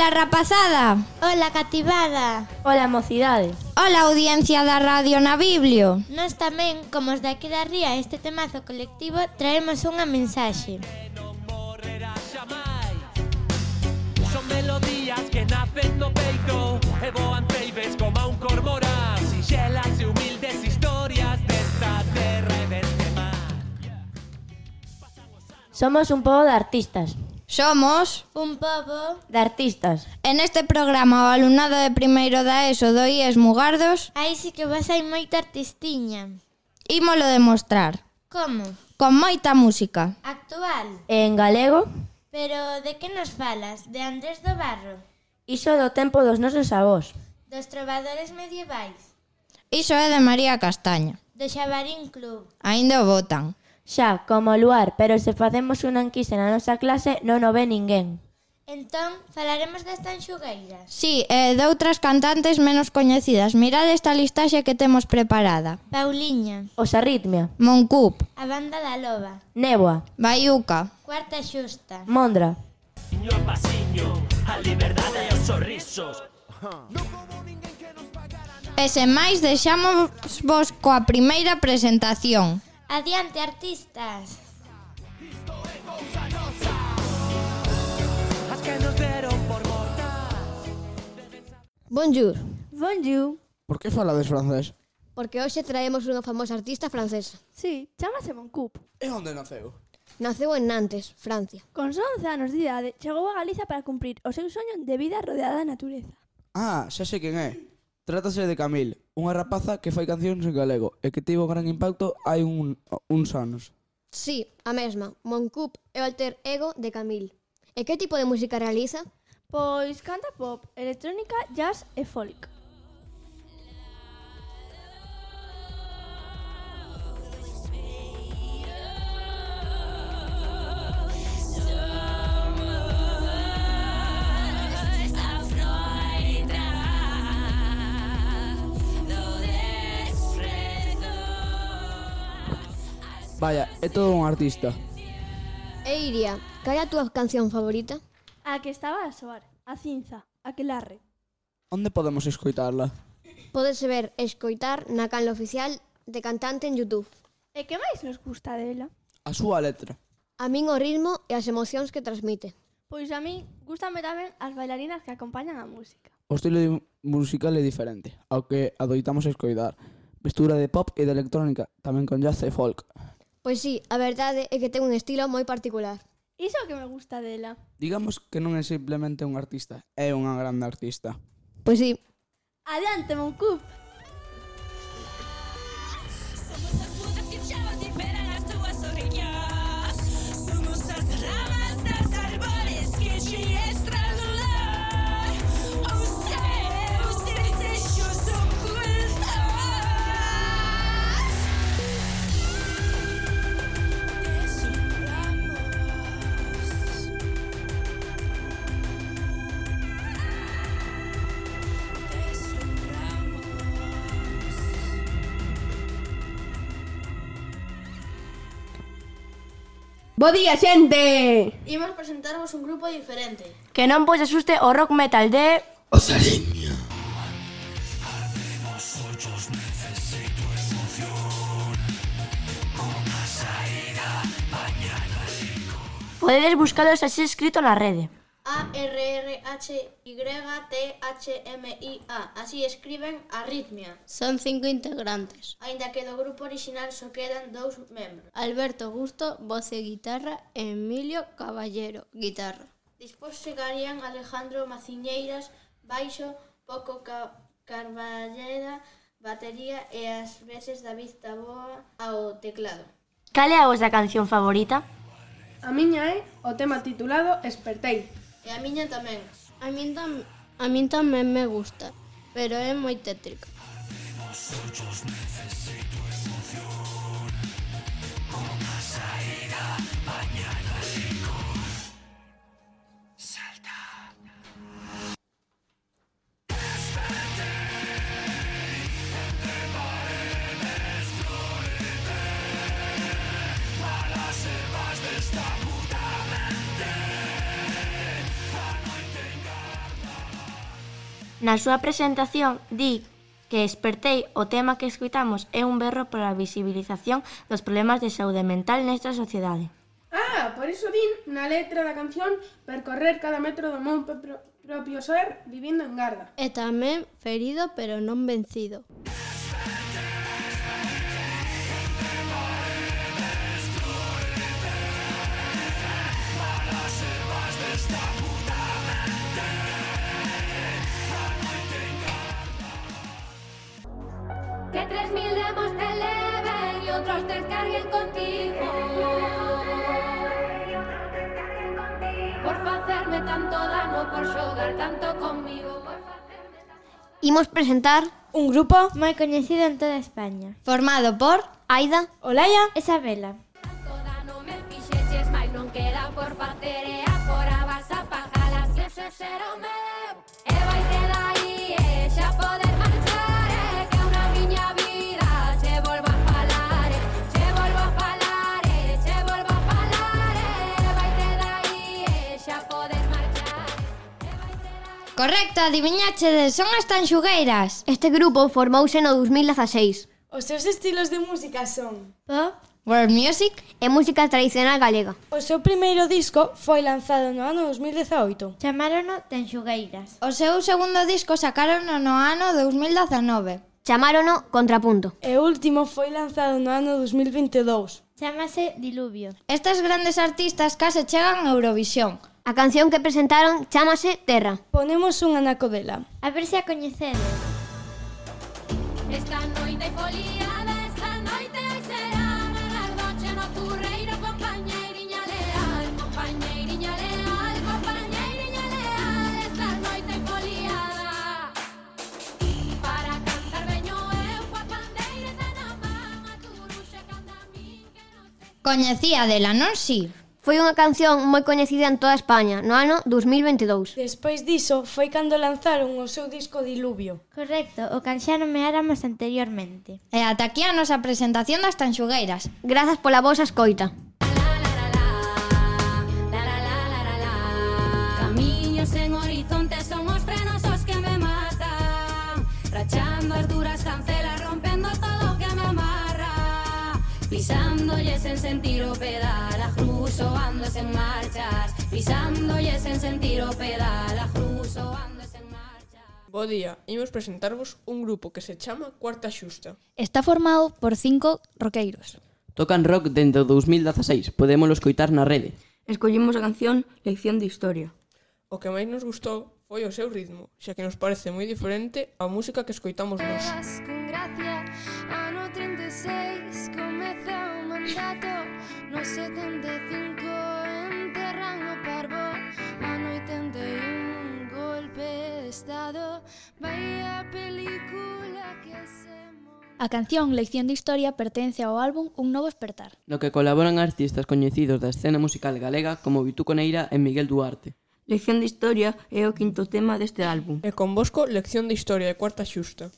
Ola, rapazada. Ola, cativada. Ola, mocidade. Ola, audiencia da radio na Biblio. Nós tamén, como os de aquí da Ría, este temazo colectivo, traemos unha mensaxe. Son melodías que nacen no peito e voan ceibes como a un cormorán. Sinxelas e humildes historias desta terra e deste mar. Somos un pobo de artistas. Somos Un pobo. De artistas. en este programa o alumnado de primeiro da ESO do IES Mugardos. Aí sí que vas hai moita artistiña. Ímolo demostrar Como? con moita música. Actual. En galego, Pero de que nos falas? De Andrés do Barro? iso do tempo dos nosos avós. Dos trovadores medievais? Iso é de María Castaño. Do Xabarín Club? Aínda o botan. Xa, como o luar, pero se facemos unha enquisa na nosa clase non o ve ninguén. Entón, falaremos das tanxugueiras? Sí, e de outras cantantes menos coñecidas. Mirade esta listaxe que temos preparada. Pauliña, Os Arritmia, Moncup, a banda da Loba, Néboa, Baiuca, Cuarta Xusta, Mondra. Pasiño a pasiño, a liberdade e os sorrisos. e sen máis deixamos vos coa primeira presentación. Adiante, artistas! As que nos deron por mortas. Bonjour, Bonjour. Por que falades francés? porque hoxe traemos unha famosa artista francesa. Sí, chámase Moncup. E onde naceu? Naceu en Nantes, Francia. Con só 11 anos de idade, chegou a Galiza para cumprir o seu soño de vida rodeada da natureza. Ah, xa sei quen é. Trátase de Camille, unha rapaza que fai cancións en galego e que tivo gran impacto hai uns anos. Sí, a mesma. Moncup é o alter ego de Camille. E que tipo de música realiza? Pois canta pop, electrónica, jazz e folk. Vaya, é todo un artista. E Iria, cal é a túa canción favorita? A que estaba a soar, a cinza, aquelarre. Onde podemos escoitarla? Podes ver e escoitar na canle oficial de cantante en YouTube. E que máis nos gusta dela? A súa letra. A min o ritmo e as emocións que transmite. Pois a mí gustame tamén as bailarinas que acompañan a música. O estilo musical é diferente, ao que adoitamos escoitar. Mistura de pop e de electrónica, tamén con jazz e folk. Pois sí, a verdade é que ten un estilo moi particular. Iso é o que me gusta dela. Digamos que non é simplemente un artista, é unha grande artista. Pois sí, Adiante, Moncup! Somos as mudas que chavas e esperan as túas orellas. Somos as ramas das árboles que te estrangular os seus desejos ocultos. Bo día, xente! Imos presentarvos un grupo diferente. Que non vos asuste o rock metal de... Os Arritmia. Podedes buscalos así escrito na rede. ARRHYTHMIA. Así escriben Arritmia. Son 5 integrantes. Aínda que do grupo orixinal só quedan 2 membros. Alberto Gusto, voz e guitarra, e Emilio Caballero, guitarra. Despois chegarían Alejandro Maciñeiras, baixo, Poco Carballeda, batería e ás veces David Taboa ao teclado. Cal é a vosa canción favorita? A miña é o tema titulado Espertei. E a miña tamén. A min tamén me gusta, pero é moi tétrica. Na súa presentación di que Espertei, o tema que escoitamos, é un berro pola visibilización dos problemas de saúde mental nesta sociedade. Por iso din na letra da canción percorrer cada metro do meu propio ser vivindo en garda. E tamén ferido pero non vencido. Que 3000 demos te eleven y otros descarguen contigo. Por facerme tanto dano, por xogar tanto conmigo. Imos presentar un grupo moi coñecido en toda España, formado por Aida, Olaya e Sabela. Tanto dano me fixeches, mais non queda por facer e agora vas a pagalas. Ese será o meu, e vaite dai e xa poder marchar, que unha miña vida che volvo a falar, che volvo a falar, che volvo a falar, e vaite dai e xa poder marchar. Correcto, adiviñachedes, son as Tanxugueiras. Este grupo formouse no 2016. Os seus estilos de música son Pop, world music e música tradicional galega. O seu primeiro disco foi lanzado no ano 2018. Chamárono Tanxugueiras. O seu segundo disco sacarono no ano 2019. Chamárono Contrapunto. E o último foi lanzado no ano 2022. Chámase Diluvio. Estas grandes artistas case chegan a Eurovisión. A canción que presentaron chámase Terra. Ponemos un anaco dela. A ver se a coñecedes. Esta noite foliada, esta noite será ganar noche no curreiro, compañeiriña leal, compañeiriña leal, compañeiriña leal. Esta noite foliada, para cantar veño eu coa pandeireta na man, a turuxa canta a min que non sei. Coñecía dela, non si? Foi unha canción moi coñecida en toda España no ano 2022. Despois diso, foi cando lanzaron o seu disco Diluvio. Correcto, o can xa nomeáramos anteriormente. E ata aquí a nosa presentación das Tanxugueiras. Grazas pola vosa escoita. Camiños en horizonte son os frenos os que me matan, rachando as duras cancelas, rompendo todo o que me amarra, pisándolle sen sentir o pedal, a cruzo ando sen marchas, pisándolle sen sentir o pedal, a cruzo ando sen marchas. Bo día, imos presentarvos un grupo que se chama Cuarta Xusta. Está formado por 5 roqueiros. Tocan rock dende o 2016, podémolo escoitar na rede. Escollimos a canción Lección de Historia. O que máis nos gustou foi o seu ritmo, xa que nos parece moi diferente á música que escoitamos nós. Con gracia, ano 36, comeza o mandato, no 75 enterran o parvo, ano 81 golpe de estado, vai a película que se... A canción Lección de Historia pertence ao álbum Un Novo Espertar, no que colaboran artistas coñecidos da escena musical galega como Vituco Neira e Miguel Duarte. Lección de Historia é o quinto tema deste álbum. E convosco Lección de Historia de Cuarta Xusta.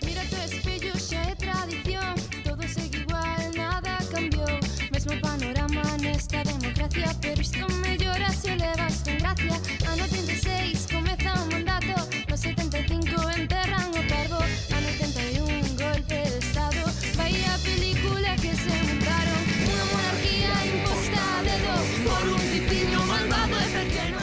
Mira tu espello, xa é tradición, todo segue igual, nada cambiou, mesmo panorama nesta democracia, pero isto mellora se o levas con gracia. Ano 36 comeza o mandato, no 75 enterran o parvo, ano 81 golpe de estado, vai a película que se montaron, unha monarquía imposta a dedo por un tipiño malvado e pequeno.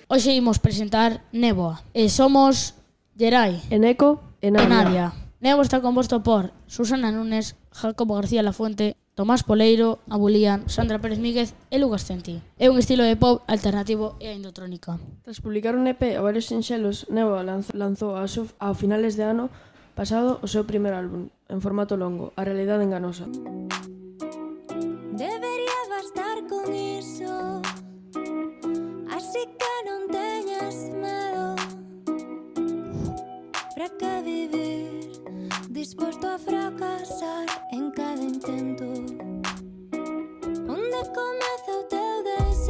Hoxe imos presentar Néboa e somos Gerai, Eneco e Nadia. Néboa está composto por Susana Núñez, Jacobo García Lafuente, Tomás Poleiro, Abulían, Sandra Pérez Míguez e Lucas Centi. É un estilo de pop alternativo e indotrónica. Tras publicar un EP a varios sinxelos, Néboa lanzou ao finales de ano pasado o seu primer álbum, en formato longo, A realidade enganosa. Debería bastar con iso, así que non teñas medo. Para que vivir, disposto a fracasar en cada intento. Onde comeza o teu deseo?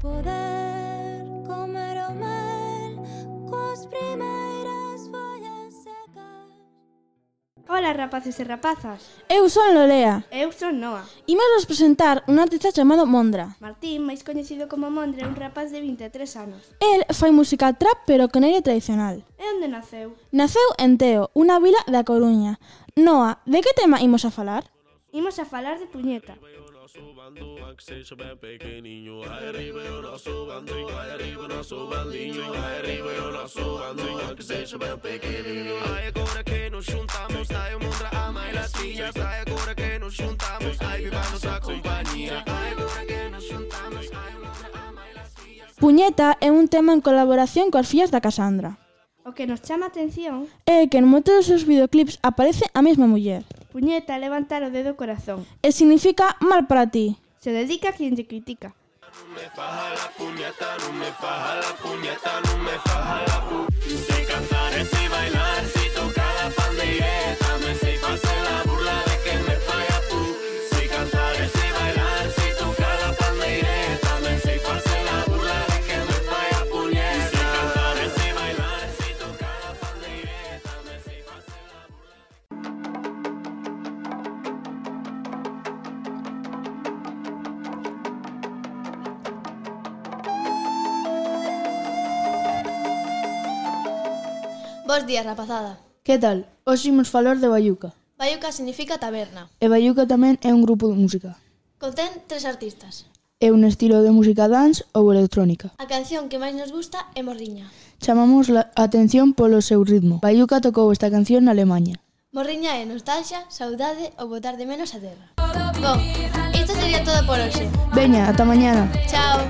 poder comer o mel coas primeiras follas secas. Hola, rapaces e rapazas. Eu son Lolea. Eu son Noa. Imos vos presentar un artista chamado Mondra. Martín, máis coñecido como Mondra, é un rapaz de 23 anos. El fai música trap pero con aire tradicional. E onde naceu? Naceu en Teo, unha vila da Coruña. Noa, de que tema imos a falar? Imos a falar de puñeta. Puñeta é un tema en colaboración coas fillas da Casandra. O que nos chama a atención É que en moitos dos seus videoclips aparece a mesma muller. Puñeta levantar o dedo corazón. E significa mal para ti. Se dedica a quien te critica. No me faja la puñeta, no me faja la puñeta, no me faja la puñeta. Sei cantar e sei bailar, sei tocar a pandeireta, me sei facer la burla de que me falla pu. Sei cantar e sei bailar, sei tocar a pandeireta, me sei facer la burla de que me falla puñeta. Sei cantar e sei bailar, sei tocar a pandeireta, me sei facer la burla. Bos días, rapazada. Que tal? Hoxe imos falar de Baiuca. Baiuca significa taberna. E Baiuca tamén é un grupo de música. Contén 3 artistas. É un estilo de música dance ou electrónica. A canción que máis nos gusta é Morriña. Chamamos a atención polo seu ritmo. Baiuca tocou esta canción na Alemanha. Morriña é nostalgia, saudade ou botar de menos a terra. Bon, isto sería todo por hoxe. Veña, ata mañana. Chao.